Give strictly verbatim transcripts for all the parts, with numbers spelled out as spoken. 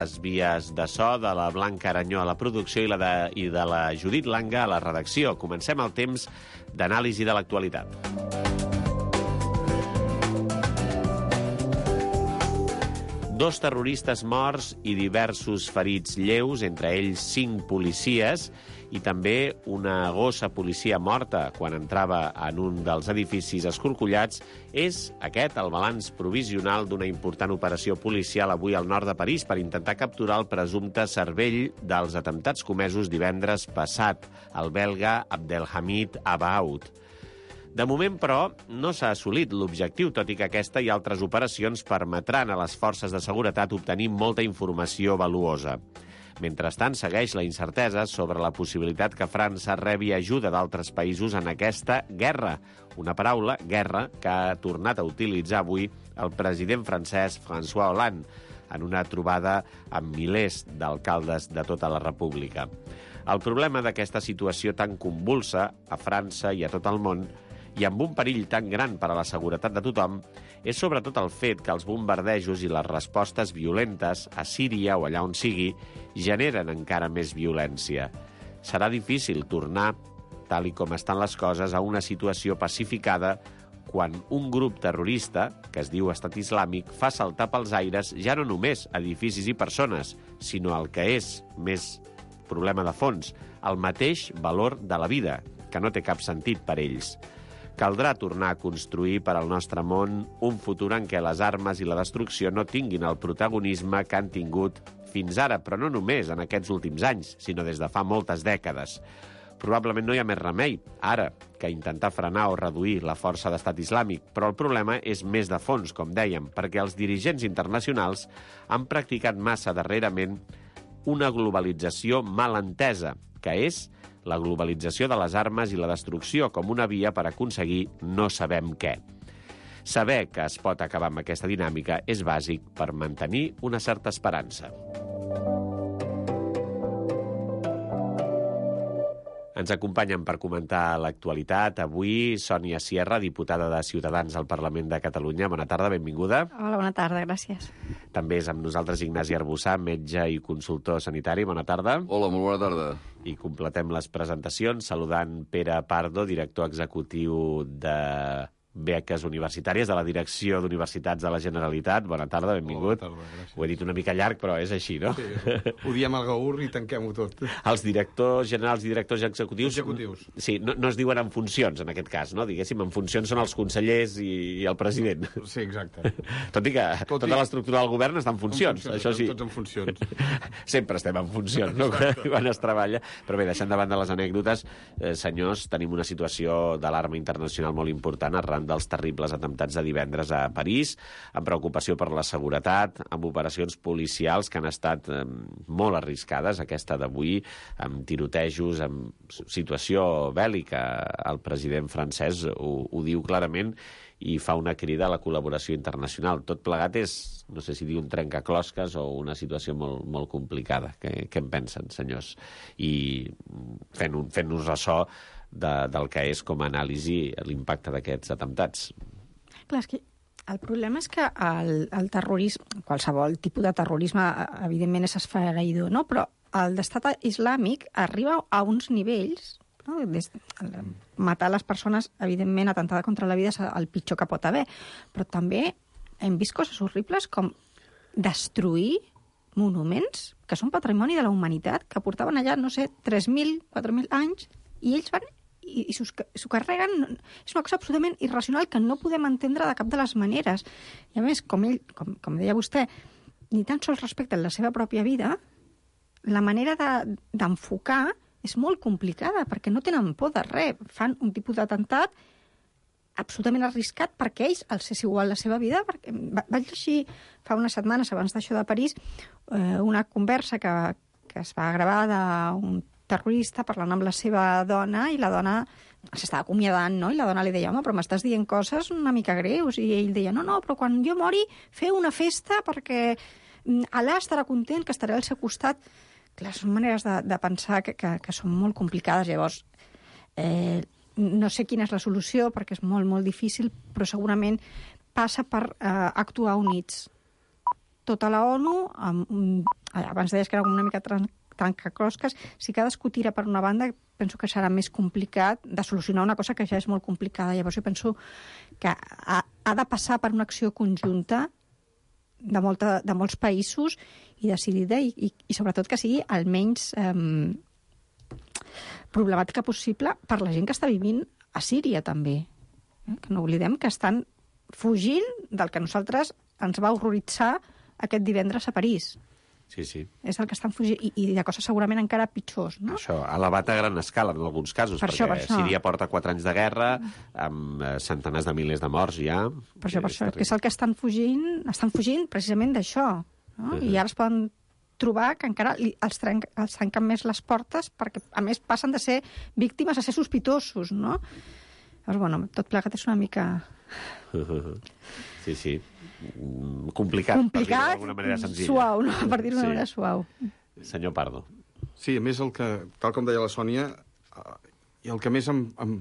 les vies de so de la Blanca Aranyó a la producció i, la de, i de la Judit Langa a la redacció. Comencem el temps d'anàlisi de l'actualitat. Dos terroristes morts i diversos ferits lleus, entre ells cinc policies, i també una gossa policia morta quan entrava en un dels edificis escorcollats, és aquest el balanç provisional d'una important operació policial avui al nord de París per intentar capturar el presumpte cervell dels atemptats comesos divendres passat, el belga Abdelhamid Abaoud. De moment, però, no s'ha assolit l'objectiu, tot i que aquesta i altres operacions permetran a les forces de seguretat obtenir molta informació valuosa. Mentrestant, segueix la incertesa sobre la possibilitat que França rebi ajuda d'altres països en aquesta guerra. Una paraula, guerra, que ha tornat a utilitzar avui el president francès François Hollande en una trobada amb milers d'alcaldes de tota la república. El problema d'aquesta situació tan convulsa a França i a tot el món i amb un perill tan gran per a la seguretat de tothom, és sobretot el fet que els bombardejos i les respostes violentes a Síria o allà on sigui generen encara més violència. Serà difícil tornar, tal i com estan les coses, a una situació pacificada quan un grup terrorista, que es diu Estat Islàmic, fa saltar pels aires ja no només edificis i persones, sinó el que és més problema de fons, el mateix valor de la vida, que no té cap sentit per ells. Caldrà tornar a construir per al nostre món un futur en què les armes i la destrucció no tinguin el protagonisme que han tingut fins ara, però no només en aquests últims anys, sinó des de fa moltes dècades. Probablement no hi ha més remei, ara, que intentar frenar o reduir la força d'Estat Islàmic, però el problema és més de fons, com dèiem, perquè els dirigents internacionals han practicat massa darrerament una globalització mal entesa, que és la globalització de les armes i la destrucció com una via per aconseguir no sabem què. Saber que es pot acabar amb aquesta dinàmica és bàsic per mantenir una certa esperança. Ens acompanyen per comentar l'actualitat avui Sònia Sierra, diputada de Ciutadans al Parlament de Catalunya. Bona tarda, benvinguda. Hola, bona tarda, gràcies. També és amb nosaltres Ignasi Arbussà, metge i consultor sanitari. Bona tarda. Hola, molt bona tarda. I completem les presentacions saludant Pere Pardo, director executiu de beques universitàries de la Direcció d'Universitats de la Generalitat. Bona tarda, benvingut. Bona tarda, gràcies. Ho he dit una mica llarg, però és així, no? Sí, ho diem al gaur i tanquem-ho tot. Els directors generals i directors executius... Executius. Sí, no, no es diuen en funcions, en aquest cas, no? Diguéssim, en funcions són els consellers i, i el president. Sí, exacte. Tot i que Tot tota i... l'estructura del govern està en funcions, en funcions això sí. Tots en funcions. Sempre estem en funcions, no? Quan es treballa. Però bé, deixant de banda les anècdotes, eh, senyors, tenim una situació d'alarma internacional molt important arran dels terribles atemptats de divendres a París, amb preocupació per la seguretat, amb operacions policials que han estat eh, molt arriscades, aquesta d'avui, amb tirotejos, amb situació bèl·lica. El president francès ho, ho diu clarament i fa una crida a la col·laboració internacional. Tot plegat és, no sé si dir un trencaclosques o una situació molt, molt complicada. Què, què en pensen, senyors? I fent, fent-nos ressò de, del que és com a anàlisi l'impacte d'aquests atemptats. Clar, és que el problema és que el, el terrorisme, qualsevol tipus de terrorisme, evidentment és esfereïdor, no? Però el d'estat islàmic arriba a uns nivells, no? Des, matar les persones, evidentment, atentada contra la vida és el pitjor que pot haver, però també hem vist coses horribles com destruir monuments que són patrimoni de la humanitat, que portaven allà, no sé, tres mil, quatre mil anys, i ells van i, i s'ho carreguen. És una cosa absolutament irracional que no podem entendre de cap de les maneres. I a més, com, ell, com, com deia vostè, ni tan sols respecten la seva pròpia vida, la manera de, d'enfocar és molt complicada, perquè no tenen por de res. Fan un tipus d'atemptat absolutament arriscat perquè ells els és igual la seva vida. Perquè vaig llegir fa unes setmanes, abans d'això de París, eh, una conversa que, que es va gravar d'un terrorista parlant amb la seva dona, i la dona s'estava acomiadant, no? I la dona li deia, home, però m'estàs dient coses una mica greus. I ell deia, no, no, però quan jo mori, feu una festa perquè Allà estarà content, que estarà al seu costat. Clar, són maneres de, de pensar que, que, que són molt complicades. Llavors, eh, no sé quina és la solució, perquè és molt, molt difícil, però segurament passa per eh, actuar units. tota la ONU, amb, abans deies que era una mica trencaclosques, si cadascú tira per una banda, penso que serà més complicat de solucionar una cosa que ja és molt complicada. Llavors jo penso que ha, ha de passar per una acció conjunta de, molta, de molts països i decidida i, i, i sobretot que sigui el menys eh, problemàtica possible per la gent que està vivint a Síria també. Eh? Que no oblidem que estan fugint del que nosaltres ens va horroritzar aquest divendres a París. Sí, sí. És el que estan fugint, i, i de coses segurament encara pitjors, no? Això, elevat a gran escala en alguns casos, per perquè això, per això. Síria porta quatre anys de guerra, amb centenars de milers de morts ja. Per això, per això, que és el que estan fugint, estan fugint precisament d'això, no? Uh-huh. I ara es poden trobar que encara li, els, trenc, els trenquen més les portes, perquè a més passen de ser víctimes a ser sospitosos, no? Llavors, bueno, tot plegat és una mica... Sí, sí. Complicat, Complicat, per dir-ho d'alguna manera senzilla. Suau, no? Per dir-ho d'una Sí. manera suau. Senyor Pardo. Sí, a més, el que, tal com deia la Sònia, eh, i el que més em, em,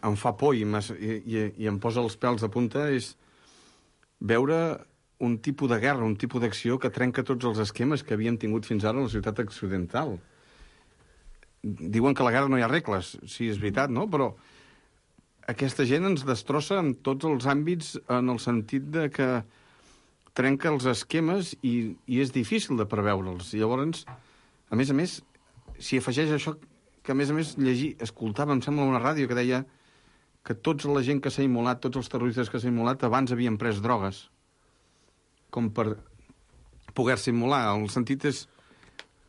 em fa por i, i, i em posa els pèls de punta és veure un tipus de guerra, un tipus d'acció que trenca tots els esquemes que havíem tingut fins ara a la ciutat occidental. Diuen que a la guerra no hi ha regles, sí, és veritat, no? Però aquesta gent ens destrossa en tots els àmbits en el sentit de que trenca els esquemes i, i és difícil de preveure'ls. I llavors, a més a més, si afegeix això que a més a més llegir, escoltava, em sembla, una ràdio que deia que tota la gent que s'ha immolat, tots els terroristes que s'ha immolat, abans havien pres drogues com per poder-se immolar. El sentit és,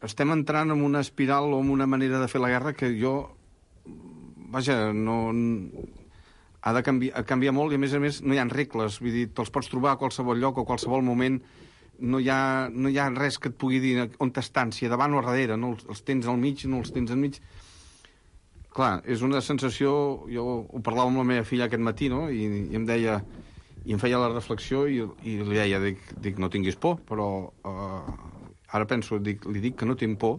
estem entrant en una espiral o en una manera de fer la guerra que jo, vaja, no... ha de canviar, canviar molt i, a més a més, no hi ha regles. Vull dir, te'ls pots trobar a qualsevol lloc o a qualsevol moment. No hi ha, no hi ha res que et pugui dir on t'estan, si a davant o a darrere. No els, els tens al mig, no els tens al mig. Clar, és una sensació... Jo ho parlava amb la meva filla aquest matí, no? I, i em deia... I em feia la reflexió i, i li deia, dic, dic, no tinguis por, però uh, ara penso, dic, li dic que no tinc por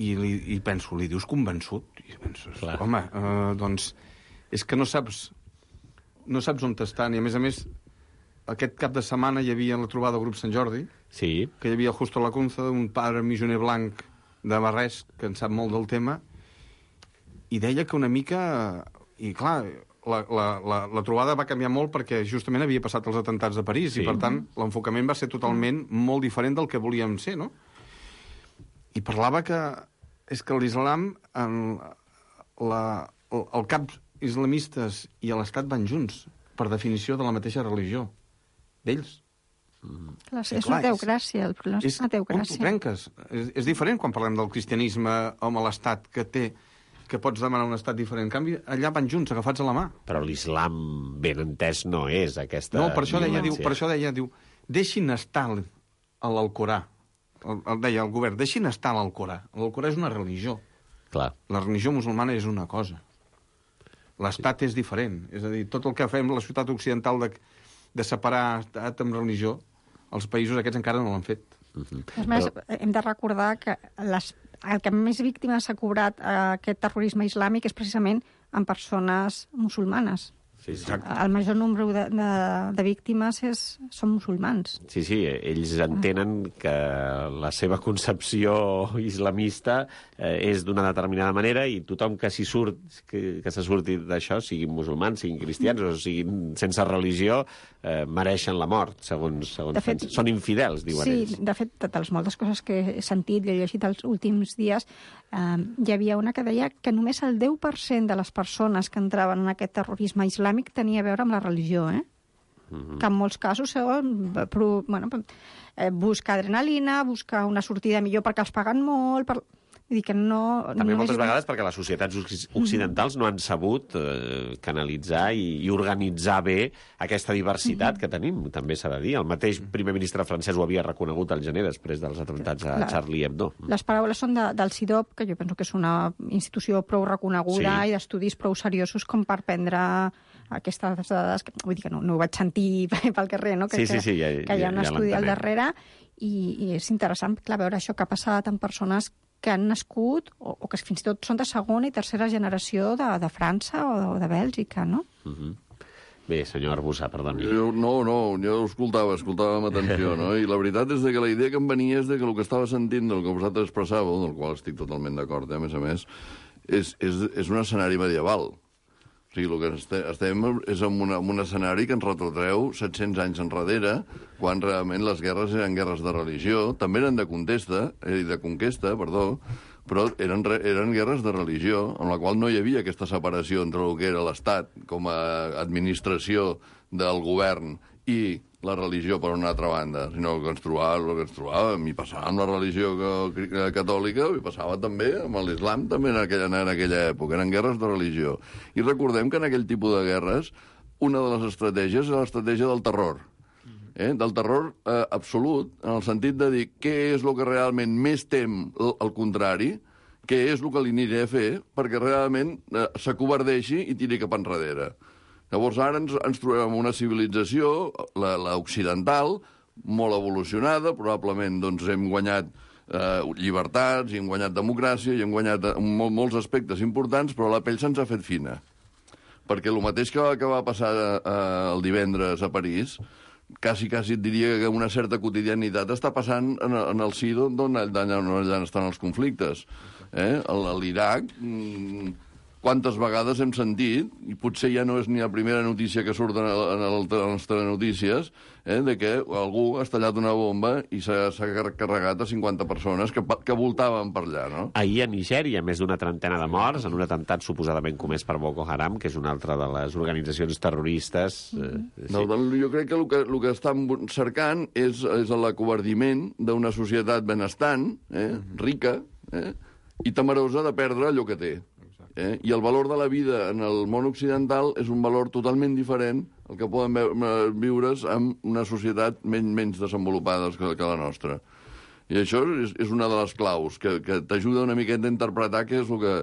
i, li, i penso, li dius convençut? I penso, home, uh, doncs... és que no saps no saps on t'estan, i a més a més aquest cap de setmana hi havia la trobada del grup Sant Jordi, sí. Que hi havia Justo Lacunza, un padre missioner blanc de Barrés, que en sap molt del tema, i deia que una mica... I clar, la, la, la, la trobada va canviar molt perquè justament havia passat els atentats de París, sí. I per tant l'enfocament va ser totalment molt diferent del que volíem ser, no? I parlava que és que l'islam, la, el, el cap islamistes i l'Estat van junts, per definició de la mateixa religió, d'ells. Mm. Clar, és clar, una teocràcia, el problema és, és una teocràcia. On t'ho trenques? És, és diferent quan parlem del cristianisme amb l'Estat, que té que pots demanar un estat diferent. En canvi, allà van junts, agafats a la mà. Però l'islam, ben entès, no és aquesta... No, per això deia, diu, per això deia, diu, deixin estar a l'Alcorà. El, el deia el govern, deixin estar a l'Alcorà. L'Alcorà és una religió. Clar. La religió musulmana és una cosa. L'estat és diferent. És a dir, tot el que fem la ciutat occidental de, de separar estat amb religió, els països aquests encara no l'han fet. Uh-huh. És més, Però... hem de recordar que les, el que més víctimes s'ha cobrat eh, aquest terrorisme islàmic és precisament en persones musulmanes. Sí, sí. El major nombre de, de, de víctimes és, són musulmans. Sí, sí, ells entenen que la seva concepció islamista eh, és d'una determinada manera i tothom que s'hi surt, que, que se surti d'això, siguin musulmans, siguin cristians o siguin sense religió, eh, mereixen la mort, segons, segons de fet, són infidels, diuen sí, ells. Sí, de fet, de les moltes coses que he sentit i he llegit els últims dies, eh, hi havia una que deia que només el deu per cent de les persones que entraven en aquest terrorisme islàmic tenia a veure amb la religió, eh? Uh-huh. Que en molts casos són, però, bueno, eh, buscar adrenalina, buscar una sortida millor perquè els paguen molt... Per... Vull dir que no... També no moltes és... vegades perquè les societats occidentals no han sabut eh, canalitzar i, i organitzar bé aquesta diversitat uh-huh. que tenim, també s'ha de dir. El mateix primer ministre francès ho havia reconegut al gener després dels atemptats a la... Charlie Hebdo. Les paraules són de, del C I D O P, que jo penso que és una institució prou reconeguda sí. I d'estudis prou seriosos com per prendre aquestes dades, que, vull dir que no, no ho vaig sentir pel carrer, no? que, sí, sí, sí, ja, que hi ha un ja, ja estudi al darrere, i, i és interessant, clar, veure això que ha passat amb persones que han nascut, o, o que fins i tot són de segona i tercera generació de, de França o de, o de Bèlgica, no? Uh-huh. Bé, senyor Arbussà, perdoni. Jo, no, no, jo escoltava, escoltava amb atenció, no? I la veritat és que la idea que em venia és de que el que estava sentint del que vosaltres expressàveu, del qual estic totalment d'acord, eh, a més a més, és, és, és un escenari medieval. O sigui, el que estem, estem és en, una, en un escenari que ens retrotreu set-cents anys enrere, quan realment les guerres eren guerres de religió, també eren de contesta, eh, de conquesta, perdó, però eren, eren guerres de religió, en la qual no hi havia aquesta separació entre el que era l'Estat com a administració del govern i la religió per una altra banda, sinó que ens trobàvem, el que ens trobàvem, i passava amb la religió catòlica, i passava també amb l'islam, també en aquella, en aquella època, eren guerres de religió. I recordem que en aquell tipus de guerres, una de les estratègies era l'estratègia del terror, eh? del terror eh, absolut, en el sentit de dir què és el que realment més tem el contrari, què és el que li aniré a fer perquè realment eh, s'acovardeixi i tiri cap enrere. Llavors ara ens, ens trobem en una civilització, l'occidental, molt evolucionada, probablement doncs, hem guanyat eh, llibertats, i hem guanyat democràcia, i hem guanyat mol, molts aspectes importants, però la pell se'ns ha fet fina. Perquè el mateix que, que va passar eh, el divendres a París, quasi, quasi et diria que una certa quotidianitat està passant en, en el si d'on allà estan els conflictes. Eh? L'Iraq... Mm, quantes vegades hem sentit, i potser ja no és ni la primera notícia que surt en, el, en les telenotícies, eh, de que algú ha estallat una bomba i s'ha carregat a cinquanta persones que, que voltaven per allà, no? Ahir a Nigèria, més d'una trentena de morts en un atemptat suposadament comès per Boko Haram, que és una altra de les organitzacions terroristes. Eh, sí. No, doncs jo crec que el que, el que estan cercant és, és l'acovardiment d'una societat benestant, eh, rica, eh, i temerosa de perdre allò que té. Eh? I el valor de la vida en el món occidental és un valor totalment diferent al que poden viure's en una societat menys, menys desenvolupada que, que la nostra. I això és, és una de les claus, que, que t'ajuda una miqueta a interpretar què és el que,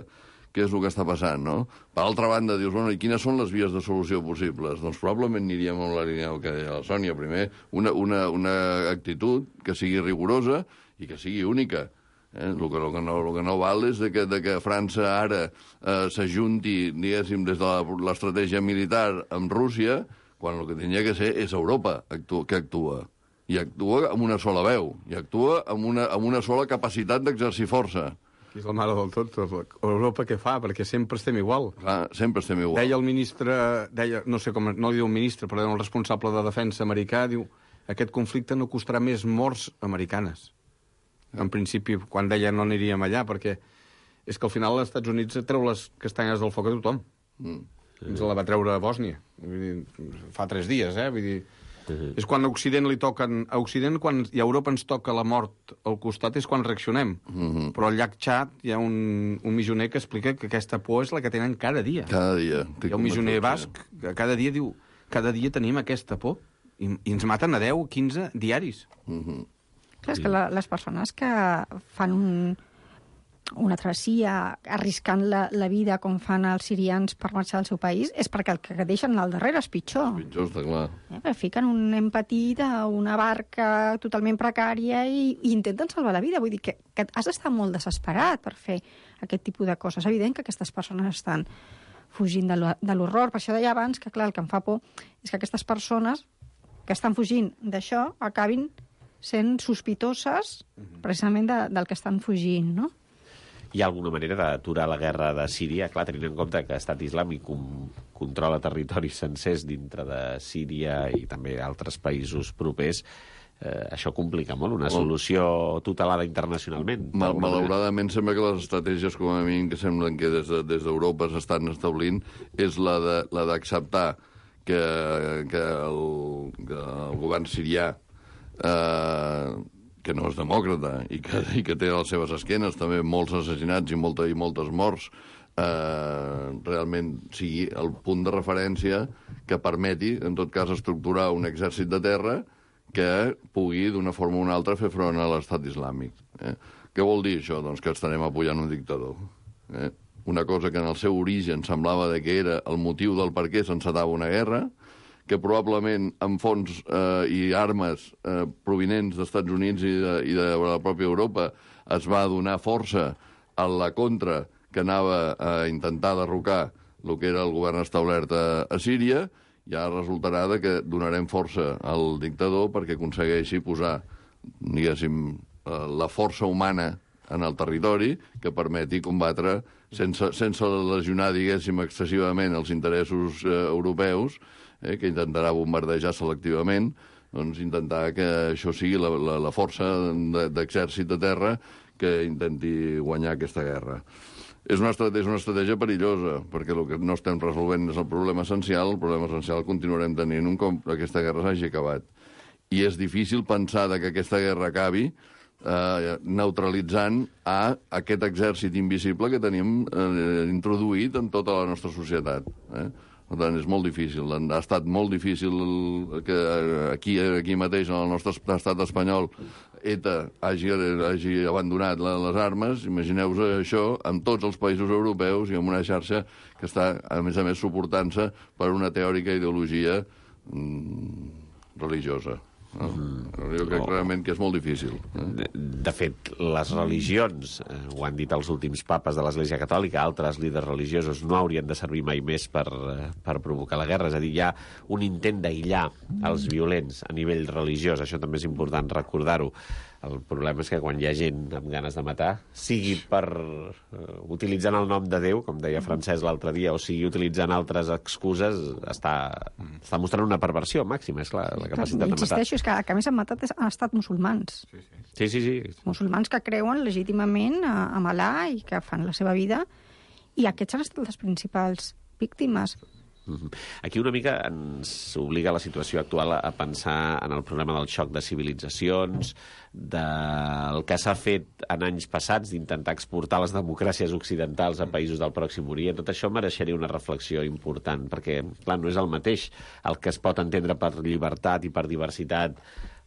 què és el que està passant, no? Per altra banda, dius, bueno, i quines són les vies de solució possibles? Doncs probablement aniríem amb la línia que deia la Sònia. Primer, una, una, una actitud que sigui rigorosa i que sigui única. Eh? El, que, el, que no, el que no val és de que, de que França ara eh, s'ajunti, diguéssim, des de l'estratègia militar amb Rússia, quan el que tenia que ser és Europa actua, que actua. I actua amb una sola veu, i actua amb una, amb una sola capacitat d'exercir força. És la mare del tot. Europa què fa? Perquè sempre estem igual. Clar, sempre estem igual. Deia el ministre, deia, no sé com, no li diu un ministre, però el responsable de defensa americà, diu, aquest conflicte no costarà més morts americanes. En principi, quan deia no aniríem allà, perquè és que al final els Estats Units treu les castanyes del foc a tothom. Mm. Ens la va treure a Bòsnia. Vull dir, fa tres dies, eh? Vull dir, mm-hmm. És quan a Occident li toquen... A Occident, quan i a Europa ens toca la mort al costat, és quan reaccionem. Mm-hmm. Però al llac Txad hi ha un, un missioner que explica que aquesta por és la que tenen cada dia. Cada dia. Hi ha un missioner basc que cada dia diu cada dia tenim aquesta por i, i ens maten a deu o quinze diaris. Mm-hmm. Clar, és que la, les persones que fan un, una travessia arriscant la, la vida com fan els sirians per marxar al seu país és perquè el que deixen al darrere és pitjor. Pitjor, està clar. Eh, fiquen un nen petit a una barca totalment precària i, i intenten salvar la vida. Vull dir que, que has d'estar molt desesperat per fer aquest tipus de coses. És evident que aquestes persones estan fugint de l'horror. Per això deia abans que, clar, el que em fa por és que aquestes persones que estan fugint d'això acabin sent sospitoses precisament de, del que estan fugint, no? Hi ha alguna manera d'aturar la guerra de Síria? Clar, tenint en compte que Estat Islàmic com, controla territoris sencers dintre de Síria i també altres països propers, eh, això complica molt, una solució tutelada internacionalment. Mal, malauradament sembla que les estratègies, com a mínim, que semblen que des d'Europa de, s'estan establint, és la de, la d'acceptar que, que, el, que el govern sirià Eh, que no és demòcrata i que, i que té a les seves esquenes també molts assassinats i, molta, i moltes morts, eh, realment sigui el punt de referència que permeti, en tot cas, estructurar un exèrcit de terra que pugui, d'una forma o una altra, fer front a l'estat islàmic. Eh? Què vol dir això? Doncs que estarem apoyant un dictador. Eh? Una cosa que en el seu origen semblava de que era el motiu del per què s'encetava una guerra, que probablement amb fons eh, i armes eh, provinents dels Estats Units i de, i de la pròpia Europa es va donar força a la contra que anava a intentar derrocar el que era el govern establert a, a Síria, ja resultarà de que donarem força al dictador perquè aconsegueixi posar, diguéssim, la força humana en el territori que permeti combatre sense, sense lesionar, diguéssim, excessivament els interessos eh, europeus, eh, que intentarà bombardejar selectivament, doncs intentar que això sigui la, la, la força d'exèrcit de terra que intenti guanyar aquesta guerra. És una, estratègia, és una estratègia perillosa, perquè el que no estem resolvent és el problema essencial, el problema essencial el continuarem tenint un cop aquesta guerra s'hagi acabat. I és difícil pensar que aquesta guerra acabi eh, neutralitzant a aquest exèrcit invisible que tenim eh, introduït en tota la nostra societat. Eh? Per tant, és molt difícil. Ha estat molt difícil que aquí, aquí mateix, en el nostre estat espanyol, ETA hagi, hagi abandonat les armes. Imagineu-vos això amb tots els països europeus i amb una xarxa que està, a més a més, suportant-se per una teòrica ideologia mm, religiosa. No? Mm. Jo crec realment que és molt difícil. Eh? De, de fet, les religions, eh, ho han dit els últims papes de l'Església Catòlica, altres líders religiosos, no haurien de servir mai més per, eh, per provocar la guerra. És a dir, hi ha un intent d'aïllar els violents a nivell religiós. Això també és important recordar-ho. El problema és que quan hi ha gent amb ganes de matar, sigui per uh, utilitzant el nom de Déu, com deia Francesc l'altre dia, o sigui utilitzant altres excuses, està, està mostrant una perversió màxima, és clar, la capacitat de matar. Insisteixo, és que el que més han matat han estat musulmans. Sí, sí. sí, sí, sí. Musulmans que creuen legítimament a Alà i que fan la seva vida, i aquests han estat les principals víctimes. Aquí una mica ens obliga la situació actual a pensar en el problema del xoc de civilitzacions, del que s'ha fet en anys passats d'intentar exportar les democràcies occidentals a països del Pròxim Orient. Tot això mereixeria una reflexió important, perquè, clar, no és el mateix el que es pot entendre per llibertat i per diversitat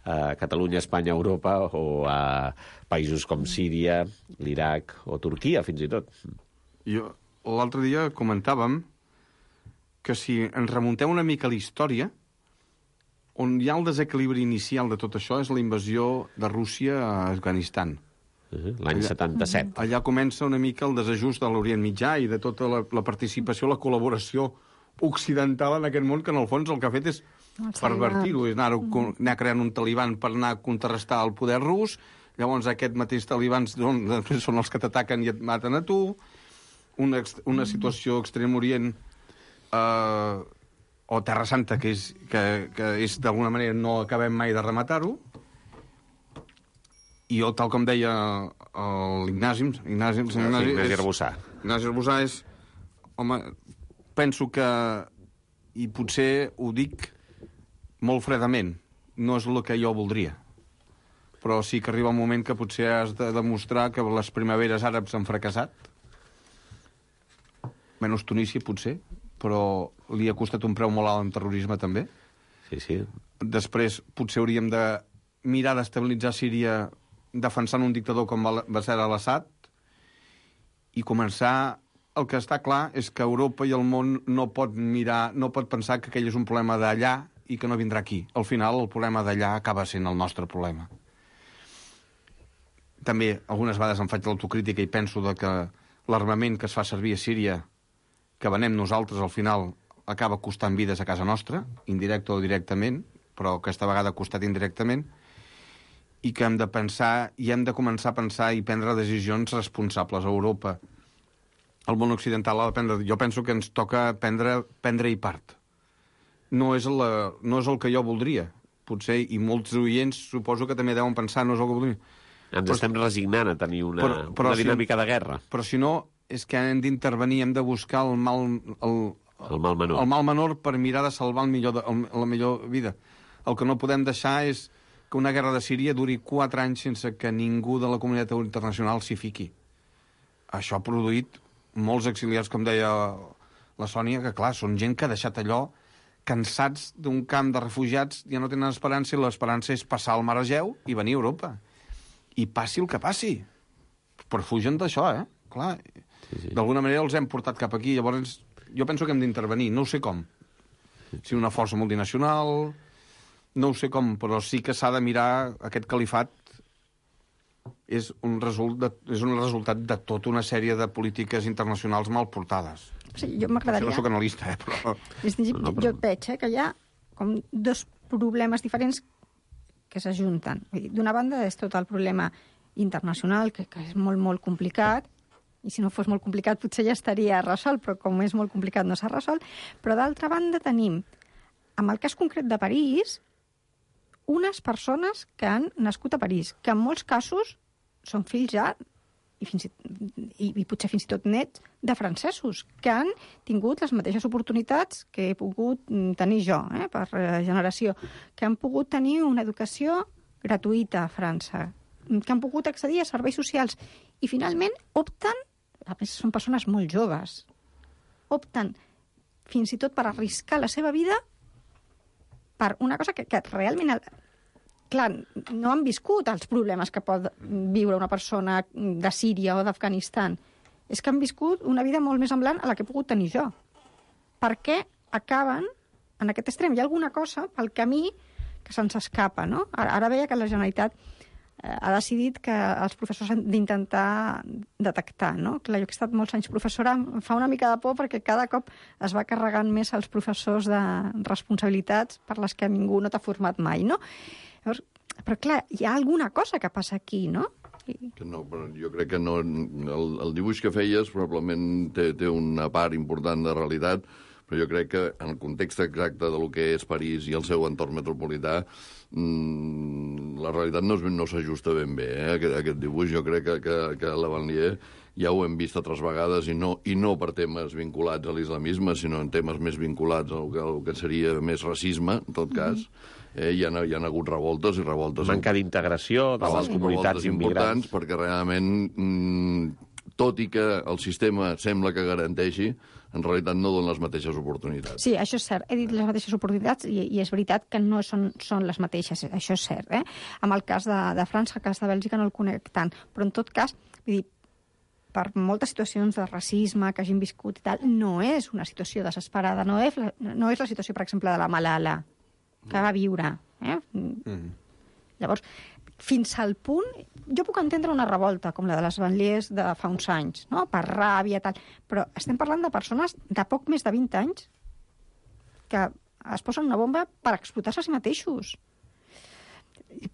a Catalunya, Espanya, Europa, o a països com Síria, l'Iraq o Turquia, fins i tot. Jo l'altre dia comentàvem que si ens remuntem una mica a la història, on hi ha el desequilibri inicial de tot això és la invasió de Rússia a Afganistan. Uh-huh. L'any setanta-set. Allà comença una mica el desajust de l'Orient Mitjà i de tota la, la participació, la col·laboració occidental en aquest món, que en el fons el que ha fet és pervertir-ho, és anar, anar creant un taliban per anar a contrarrestar el poder rus. Llavors aquest mateix talibans després són els que t'ataquen i et maten a tu. Una, una situació a Extrem Orient Uh, o Terra Santa, que és, que, que és d'alguna manera no acabem mai de rematar-ho. I jo, tal com deia l'Ignasi, Ignasi, Ignasi, Ignasi, Ignasi Arbusà. Ignasi Arbusà és... Home, penso que, i potser ho dic molt fredament, no és el que jo voldria. Però sí que arriba un moment que potser has de demostrar que les primaveres àrabs han fracassat. Menys Tunísia, potser, però li ha costat un preu molt alt en terrorisme, també. Sí, sí. Després, potser hauríem de mirar d'estabilitzar Síria defensant un dictador com Bashar al-Assad i començar... El que està clar és que Europa i el món no pot mirar, no pot pensar que aquell és un problema d'allà i que no vindrà aquí. Al final, el problema d'allà acaba sent el nostre problema. També, algunes vegades em faig l'autocrítica i penso de que l'armament que es fa servir a Síria, que venem nosaltres, al final acaba costant vides a casa nostra, indirecte o directament, però aquesta vegada ha costat indirectament, i que hem de pensar, i hem de començar a pensar i prendre decisions responsables a Europa. El món occidental ha de prendre... Jo penso que ens toca prendre, prendre-hi part. No és, la, no és el que jo voldria, potser, i molts oients suposo que també deuen pensar no és el que voldria. Ens però, estem resignant a tenir una, però, però una dinàmica si, de guerra. Però si no, és que hem d'intervenir, hem de buscar el mal, el, el mal menor. El mal menor per mirar de salvar el millor de, el, la millor vida. El que no podem deixar és que una guerra de Síria duri quatre anys sense que ningú de la comunitat internacional s'hi fiqui. Això ha produït molts exiliats, com deia la Sònia, que clar, són gent que ha deixat allò cansats d'un camp de refugiats, ja no tenen esperança, i l'esperança és passar el mar Egeu i venir a Europa. I passi el que passi. Però fugen d'això, eh? Clar, sí, sí. D'alguna manera els hem portat cap aquí. Llavors, jo penso que hem d'intervenir. No ho sé com. Si una força multinacional... No ho sé com, però sí que s'ha de mirar aquest califat. És un, result de, és un resultat de tota una sèrie de polítiques internacionals mal portades. O sigui, jo m'agradaria... No soc analista, eh, però... És dir, No, no, jo però- veig eh, que hi ha com dos problemes diferents que s'ajunten. Vull dir, d'una banda és tot el problema internacional, que, que és molt, molt complicat, i si no fos molt complicat potser ja estaria resolt, però com és molt complicat no s'ha resolt. Però d'altra banda tenim, amb el cas concret de París, unes persones que han nascut a París, que en molts casos són fills ja, i, fins i, i, i potser fins i tot nets, de francesos, que han tingut les mateixes oportunitats que he pogut tenir jo, eh, per generació, que han pogut tenir una educació gratuïta a França, que han pogut accedir a serveis socials, i finalment opten, a més són persones molt joves, opten fins i tot per arriscar la seva vida per una cosa que, que realment... Clar, no han viscut els problemes que pot viure una persona de Síria o d'Afganistan. És que han viscut una vida molt més semblant a la que he pogut tenir jo. Per què acaben en aquest extrem? Hi ha alguna cosa pel camí que se'ns escapa, no? Ara, ara veia que la Generalitat eh, ha decidit que els professors han d'intentar detectar, no? Clar, jo que he estat molts anys professora, em fa una mica de por perquè cada cop es va carregant més els professors de responsabilitats per les que ningú no t'ha format mai, no? Llavors, però clar, hi ha alguna cosa que passa aquí, no? Que no, però jo crec que no, el, el dibuix que feies probablement té, té una part important de realitat, però jo crec que en el context exacte de lo que és París i el seu entorn metropolità, mmm, la realitat no, no s'ajusta ben bé, eh? aquest, aquest dibuix. Jo crec que, que, que la Vanlier ja ho hem vist altres vegades, i no, i no per temes vinculats a l'islamisme, sinó en temes més vinculats al que, al que seria més racisme, en tot cas. Mm-hmm. Eh, hi, ha, hi ha hagut revoltes i revoltes... Manca d'integració de les comunitats immigrants. Perquè realment, mmm, tot i que el sistema sembla que garanteixi, en realitat no dona les mateixes oportunitats. Sí, això és cert. He dit les mateixes oportunitats i, i és veritat que no són, són les mateixes. Això és cert. Eh? Amb el cas de, de França, el cas de Bèlgica no el conec tant. Però en tot cas, vull dir, per moltes situacions de racisme que hagin viscut i tal, no és una situació desesperada. No és la, no és la situació, per exemple, de la Malala, que va viure. Eh? Mm. Llavors, fins al punt... Jo puc entendre una revolta, com la de les Vanliers de fa uns anys, no? Per ràbia, tal. Però estem parlant de persones de poc més de vint anys que es posen una bomba per explotar-se a si mateixos.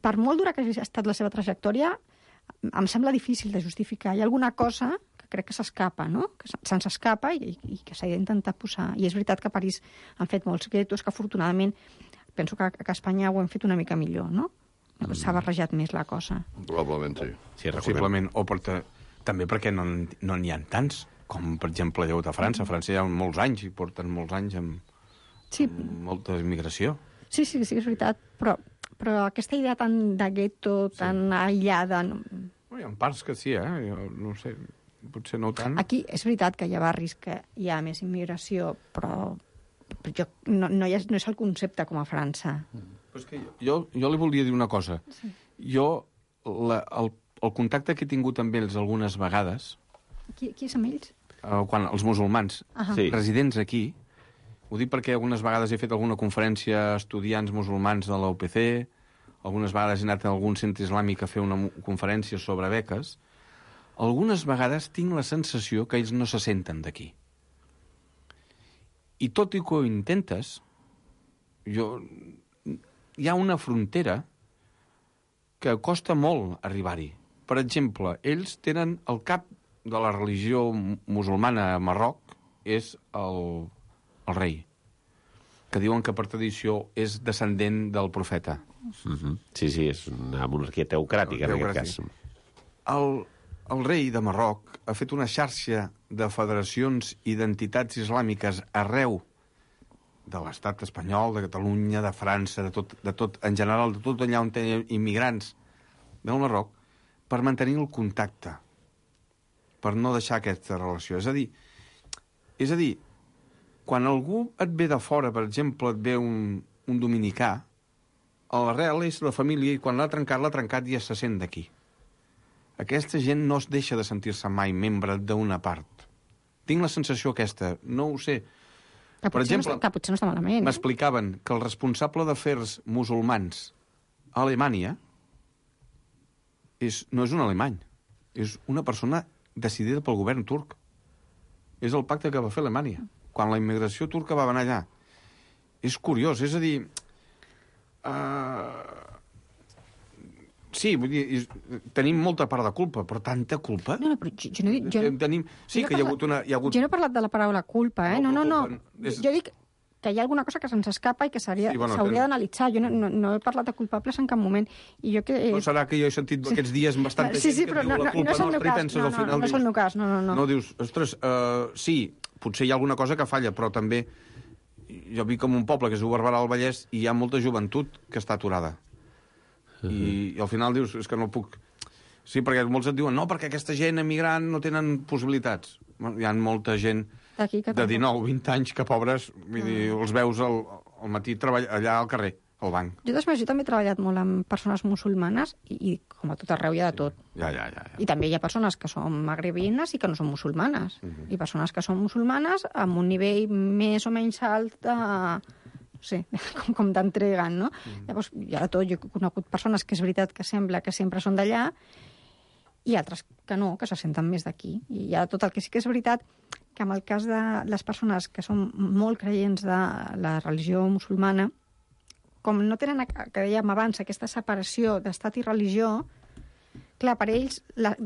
Per molt dura que hagi estat la seva trajectòria, em sembla difícil de justificar. Hi ha alguna cosa que crec que s'escapa, no? Que se'ns escapa i, i que s'ha d'intentar posar. I és veritat que a París han fet molts guetos, que afortunadament penso que, que a Espanya ho hem fet una mica millor, no? S'ha barrejat més la cosa. Probablement sí. Sí, Possiblement, o per també perquè no no n'hi ha tants, com per exemple hi ha hagut a França. A França hi ha molts anys, i porten molts anys amb, sí. amb molta immigració. Sí, sí, sí, és veritat, però, però aquesta idea tan de gueto, tan sí. aïllada... No... Hi ha parts que sí, eh? Jo no sé, potser no tant. Aquí és veritat que hi ha barris que hi ha més immigració, però, però jo, no, no, és, no és el concepte com a França. Mm. Però és que jo, jo li volia dir una cosa. Sí. Jo, la, el, el contacte que he tingut amb ells algunes vegades... Qui, qui és amb ells? Uh, quan els musulmans uh-huh. sí. residents aquí, ho dic perquè algunes vegades he fet alguna conferència a estudiants musulmans de la U P C, algunes vegades he anat a algun centre islàmic a fer una conferència sobre beques, algunes vegades tinc la sensació que ells no se senten d'aquí. I tot i que ho intentes, jo... hi ha una frontera que costa molt arribar-hi. Per exemple, ells tenen el cap de la religió musulmana a Marroc és el, el rei, que diuen que per tradició és descendent del profeta. Mm-hmm. Sí, sí, és una monarquia teocràtica, en aquest cas. El, el rei de Marroc ha fet una xarxa de federacions i d'entitats islàmiques arreu de l'estat espanyol, de Catalunya, de França, de tot, de tot, en general, de tot allà on tenen immigrants del Marroc, per mantenir el contacte, per no deixar aquesta relació. És a dir, és a dir, quan algú et ve de fora, per exemple, et ve un, un dominicà, l'arrel és la família, i quan l'ha trencat, l'ha trencat i ja se sent d'aquí. Aquesta gent no es deixa de sentir-se mai membre d'una part. Tinc la sensació aquesta, no ho sé. Que per exemple, no està, que potser no està malament. M'explicaven que el responsable d'afers musulmans a Alemanya és, no és un alemany, és una persona decidida pel govern turc. és el pacte que va fer Alemanya, quan la immigració turca va anar allà. És curiós, és a dir... Uh... Sí, vull dir, tenim molta part de culpa, però tanta culpa? No, no, però jo, jo no dic... Jo, tenim... Sí, jo no que hi ha hagut una... Hi ha hagut... Jo no he parlat de la paraula culpa, eh? No, no, no. no. És... Jo dic que hi ha alguna cosa que se'ns escapa i que s'hauria sí, bueno, d'analitzar. Jo no, no, no he parlat de culpables en cap moment. I jo que... No serà que jo he sentit sí. aquests dies bastanta sí, sí, gent però que no, diu la culpa no, no nostra i penses no, al final... No, no és el meu cas, no, no, no. No, dius, ostres, uh, sí, potser hi ha alguna cosa que falla, però també jo vi com un poble que és Barberà del Vallès i hi ha molta joventut que està aturada. Uh -huh. I, I al final dius, és que no puc... Sí, perquè molts et diuen, no, perquè aquesta gent emigrant no tenen possibilitats. Hi ha molta gent de dinou, vint anys que, pobres, vull dir, els veus al, al matí treball, allà al carrer, al banc. Jo, després, jo també he treballat molt amb persones musulmanes i, i com a tot arreu hi ha de tot. Ja, ja, ja, ja. I també hi ha persones que són magrebines i que no són musulmanes. Uh -huh. I persones que són musulmanes amb un nivell més o menys alt de... Sí, com, com t'entreguen, no? Mm. Llavors, hi ha de tot. Jo he conegut persones que és veritat que sembla que sempre són d'allà i altres que no, que se senten més d'aquí. I hi ha tot. El que sí que és veritat que en el cas de les persones que són molt creients de la religió musulmana, com no tenen, que dèiem abans, aquesta separació d'estat i religió, clar, per ells, la,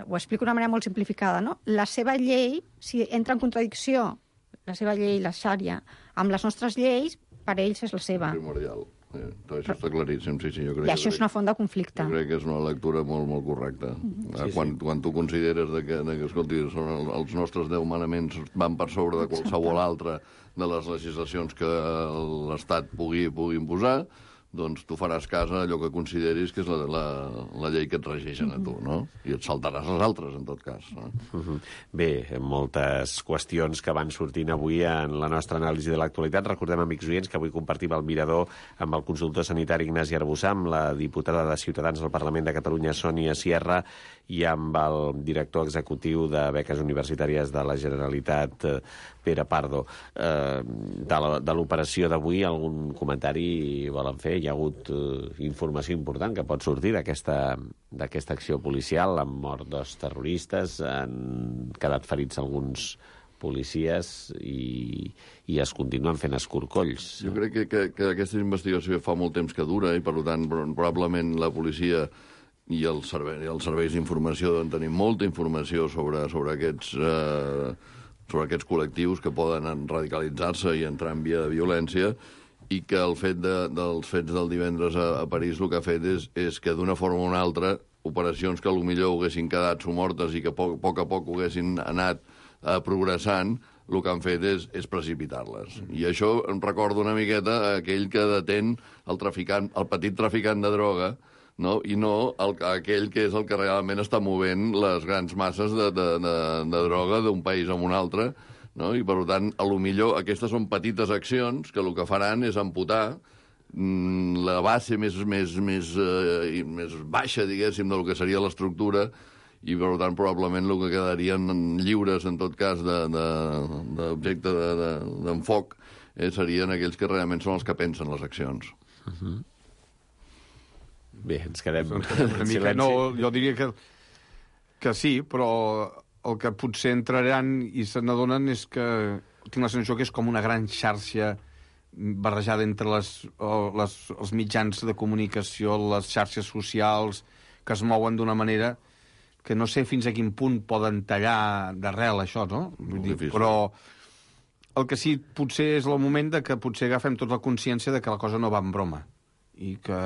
ho explico d'una manera molt simplificada, no? La seva llei, si entra en contradicció la seva llei, la xària, amb les nostres lleis, per ells és la seva. Primordial. Eh, això està claríssim, sí, sí. Jo crec I això que, és una font de conflicte. Jo crec que és una lectura molt, molt correcta. Mm -hmm. sí, quan, sí. quan tu consideres de que, de que escolti, són el, els nostres deu manaments van per sobre de qualsevol altre de les legislacions que l'Estat pugui, pugui imposar, doncs tu faràs cas a allò que consideris que és la, la, la llei que et regeixen a tu, no? I et saltaràs les altres, en tot cas. No? Uh-huh. Bé, moltes qüestions que van sortint avui en la nostra anàlisi de l'actualitat. Recordem, amics oients, que avui compartim el mirador amb el consultor sanitari Ignasi Arbussà, amb la diputada de Ciutadans al Parlament de Catalunya, Sònia Sierra, i amb el director executiu de Beques Universitàries de la Generalitat, Pere Pardo. Eh, de l'operació d'avui, algun comentari volen fer? Hi ha hagut eh, informació important que pot sortir d'aquesta d'aquesta acció policial, amb mort dos terroristes, han quedat ferits alguns policies i, i es continuen fent escorcolls. Jo crec que, que, que aquesta investigació fa molt temps que dura i, per tant, probablement la policia i els serveis, els serveis d'informació deuen tenir molta informació sobre, sobre aquests... Eh, sobre aquests col·lectius que poden radicalitzar-se i entrar en via de violència, i que el fet de, dels fets del divendres a, a París el que ha fet és, és que d'una forma o una altra operacions que potser haguessin quedat somortes i que a poc, a poc a poc haguessin anat eh, progressant, el que han fet és, és precipitar-les. Mm. I això em recorda una miqueta aquell que detén el traficant, el petit traficant de droga, no? I no el, aquell que és el que realment està movent les grans masses de, de, de, de droga d'un país a un altre, no? I, per tant, a lo millor aquestes són petites accions que el que faran és amputar mm, la base més, més, més, eh, més baixa, diguéssim, del que seria l'estructura, i, per tant, probablement el que quedarien lliures, en tot cas, d'objecte d'enfoc, de, de, eh, serien aquells que realment són els que pensen les accions. Uh-huh. Bé, ens quedem en silenci. No, jo diria que, que sí, però el que potser entraran i se n'adonen és que tinc la sensació que és com una gran xarxa barrejada entre les, les, els mitjans de comunicació, les xarxes socials, que es mouen d'una manera que no sé fins a quin punt poden tallar d'arrel això, no? Vull dir, però el que sí potser és el moment de que potser agafem tota la consciència de que la cosa no va en broma i que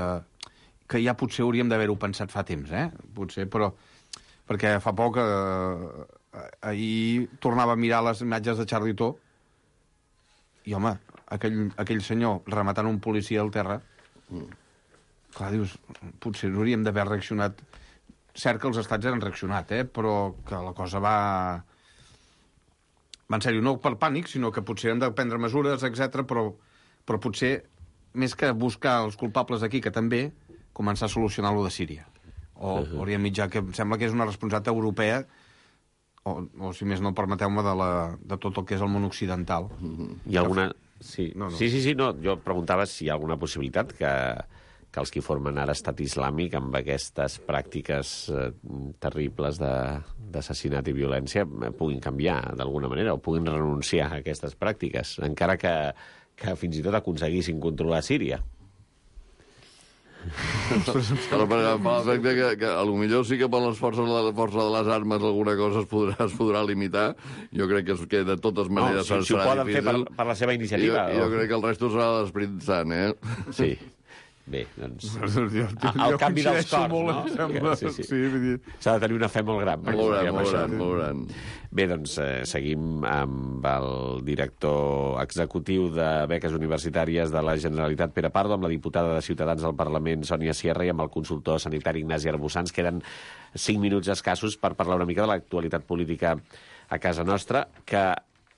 que ja potser hauríem d'haver-ho pensat fa temps, eh? Potser, però... Perquè fa poc, eh, ahir tornava a mirar les imatges de Charlie Hebdo i, home, aquell, aquell senyor rematant un policia al terra, mm. clar, dius, potser hauríem d'haver reaccionat... Cert que els estats han reaccionat, eh? Però que la cosa va... va en sèrio, no per pànic, sinó que potser hem de prendre mesures, etcètera, però, però potser, més que buscar els culpables aquí, que també... començar a solucionar-lo de Síria. O uh-huh. Orient Mitjà, que em sembla que és una responsabilitat europea, o, o si més no, permeteu-me, de, la, de tot el que és el món occidental. Uh-huh. Hi ha alguna... Sí. No, no. sí, sí, sí, no. Jo preguntava si hi ha alguna possibilitat que, que els que formen ara estat islàmic amb aquestes pràctiques eh, terribles d'assassinat i violència puguin canviar d'alguna manera o puguin renunciar a aquestes pràctiques, encara que, que fins i tot aconseguissin controlar Síria. Però per l'efecte que, que a lo millor sí que per les forces de, la força de les armes alguna cosa es podrà, es podrà limitar. Jo crec que, que de totes maneres no, si, si ho poden difícil. fer per, per la seva iniciativa. Jo, jo o... crec que el resto serà l'Esperit Sant, eh? Sí. Bé, doncs... Jo, jo, el canvi dels cors, molt, no? Sembla, sí, sí. Sí, s'ha de tenir una fe molt gran. Molt gran, molt gran, molt gran. Bé, doncs eh, seguim amb el director executiu de Beques Universitàries de la Generalitat, Pere Pardo, amb la diputada de Ciutadans al Parlament, Sònia Sierra, i amb el consultor sanitari Ignasi Arbusans. Queden cinc minuts escassos per parlar una mica de l'actualitat política a casa nostra, que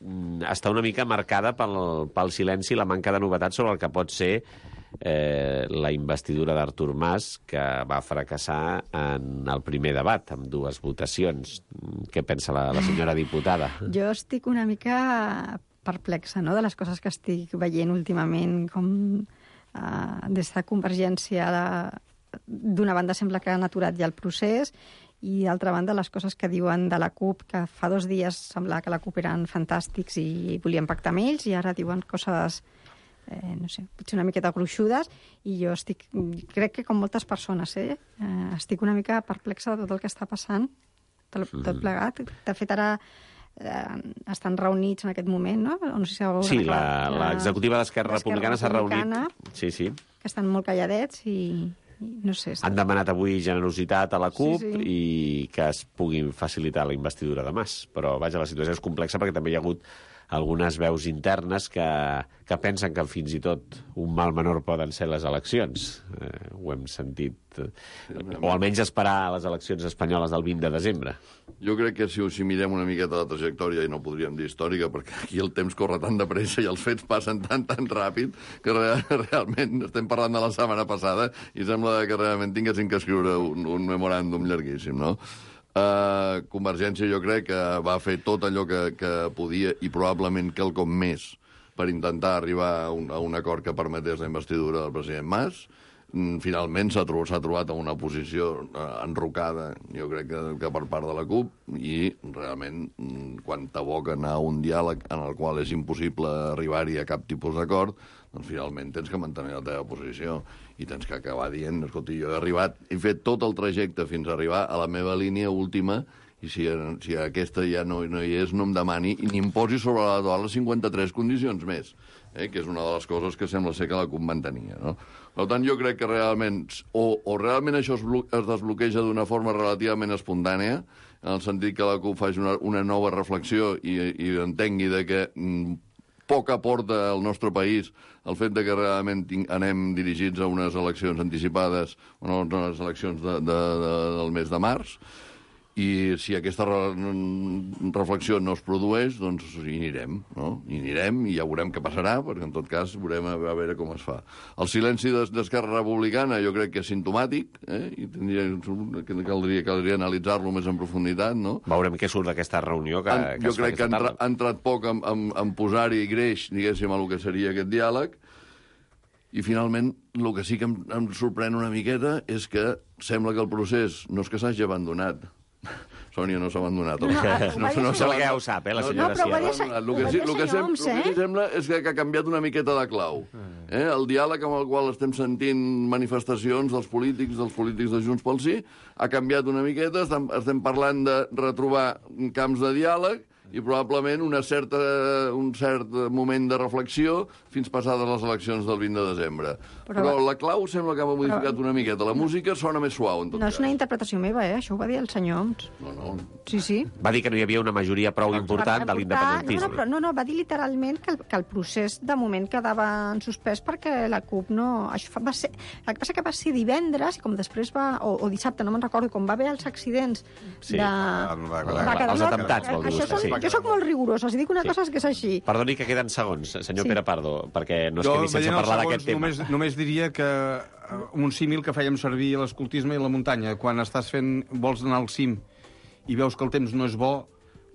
mm, està una mica marcada pel, pel silenci i la manca de novetats sobre el que pot ser Eh, la investidura d'Artur Mas, que va fracassar en el primer debat, amb dues votacions. Què pensa la, la senyora diputada? Jo estic una mica perplexa, no?, de les coses que estic veient últimament, com eh, des de Convergència d'una banda sembla que han aturat ja el procés i d'altra banda les coses que diuen de la CUP, que fa dos dies semblava que la CUP eren fantàstics i volien pactar amb ells i ara diuen coses... Eh, no sé, potser una miqueta gruixudes, i jo estic, crec que com moltes persones, eh, eh, estic una mica perplexa de tot el que està passant, tot, tot plegat. De fet, ara eh, estan reunits en aquest moment, no? no sé si sí, l'executiva d'Esquerra Republicana s'ha reunit. Sí, sí. Que estan molt calladets i... No sé, han demanat avui generositat a la CUP sí, sí. i que es puguin facilitar la investidura de Mas. Però, vaja, la situació és complexa perquè també hi ha hagut algunes veus internes que, que pensen que fins i tot un mal menor poden ser les eleccions. Eh, ho hem sentit. Eh, o almenys esperar les eleccions espanyoles del vint de desembre. Jo crec que si, si mirem una miqueta la trajectòria, i no podríem dir històrica, perquè aquí el temps corre tan de pressa i els fets passen tan, tan ràpid, que real, realment estem parlant de la setmana passada i sembla que realment tinguessin que escriure un, un memoràndum llarguíssim, no? Uh, Convergència jo crec que va fer tot allò que, que podia i probablement quelcom més per intentar arribar a un, a un acord que permetés la investidura del president Mas. Mm, finalment s'ha trobat, s'ha trobat en una posició uh, enrocada, jo crec que, que per part de la CUP, i realment mm, quan t'aboquen a un diàleg en el qual és impossible arribar-hi a cap tipus d'acord, doncs finalment tens que mantenir la teva posició i tens que acabar dient, escolti, jo he arribat, he fet tot el trajecte fins a arribar a la meva línia última i si, si aquesta ja no, no hi és, no em demani i ni em posi sobre la taula les cinquanta-tres condicions més, eh, que és una de les coses que sembla ser que la CUP mantenia, no? Per tant, jo crec que realment, o, o realment això es, es desbloqueja d'una forma relativament espontània, en el sentit que la CUP faci una, una nova reflexió i, i entengui de que mm, poc aporta al nostre país el fet de que realment anem dirigits a unes eleccions anticipades, o unes eleccions de, de, de, del mes de març, i si aquesta re reflexió no es produeix, doncs hi anirem, no? Hi anirem i ja veurem què passarà, perquè en tot cas veurem a, a veure com es fa. El silenci d'Esquerra Republicana jo crec que és simptomàtic, eh? I tindria, caldria, caldria analitzar-lo més en profunditat, no? Veurem què surt d'aquesta reunió que, han, que jo crec que ha entra, entrat poc en, en, en posar-hi greix, diguéssim, a el que seria aquest diàleg, i finalment el que sí que em, em sorprèn una miqueta és que sembla que el procés no és que s'hagi abandonat. Sònia no s'ha abandonat. No, no, no, no sembla que ja ho sap, eh, la senyora no, però Sierra. El que, sí, el que, sem, el que sí sembla és que, que ha canviat una miqueta de clau. Eh? El diàleg amb el qual estem sentint manifestacions dels polítics, dels polítics de Junts pel Sí, ha canviat una miqueta, estem, estem parlant de retrobar camps de diàleg i probablement una certa, un cert moment de reflexió fins passades les eleccions del vint de desembre. Però, però la clau sembla que ha modificat però, una miqueta. La música sona més suau, en tot no cas. És una interpretació meva, eh? Això ho va dir el senyor Homs. No, no. Sí, sí. Va dir que no hi havia una majoria prou important per, de l'independentisme. No, no, però, no, no, va dir literalment que el, que el procés de moment quedava en suspès perquè la CUP no... Això va ser... El que passa que va ser divendres i com després va... O, o dissabte, no me'n recordo, com va haver els accidents sí. de... Va, va, va, els atemptats, vol dir vostè, sí. Jo soc molt rigorosa, si dic una sí. cosa és que és així. Perdoni que queden segons, senyor sí. Pere Pardo, perquè no es jo, quedi sense parlar d'aquest tema. Només, només diria que un símil que fèiem servir a l'escoltisme i a la muntanya, quan estàs fent, vols anar al cim i veus que el temps no és bo,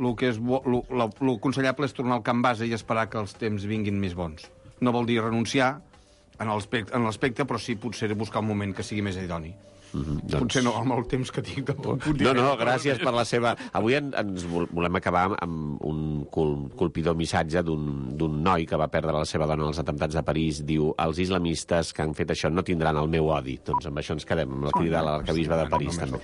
el que és bo, lo, lo, lo aconsellable és tornar al camp base i esperar que els temps vinguin més bons. No vol dir renunciar en l'aspecte, en l'aspecte, però sí potser buscar un moment que sigui més idoni. Mm-hmm, doncs... Potser no, amb el temps que tinc tampoc puc dir... No, no, gràcies per la seva... Avui en, ens volem acabar amb un col, colpidor missatge d'un noi que va perdre la seva dona als atemptats de París. Diu, els islamistes que han fet això no tindran el meu odi. Doncs amb això ens quedem, amb la crida de l'arcabisbe de París, també.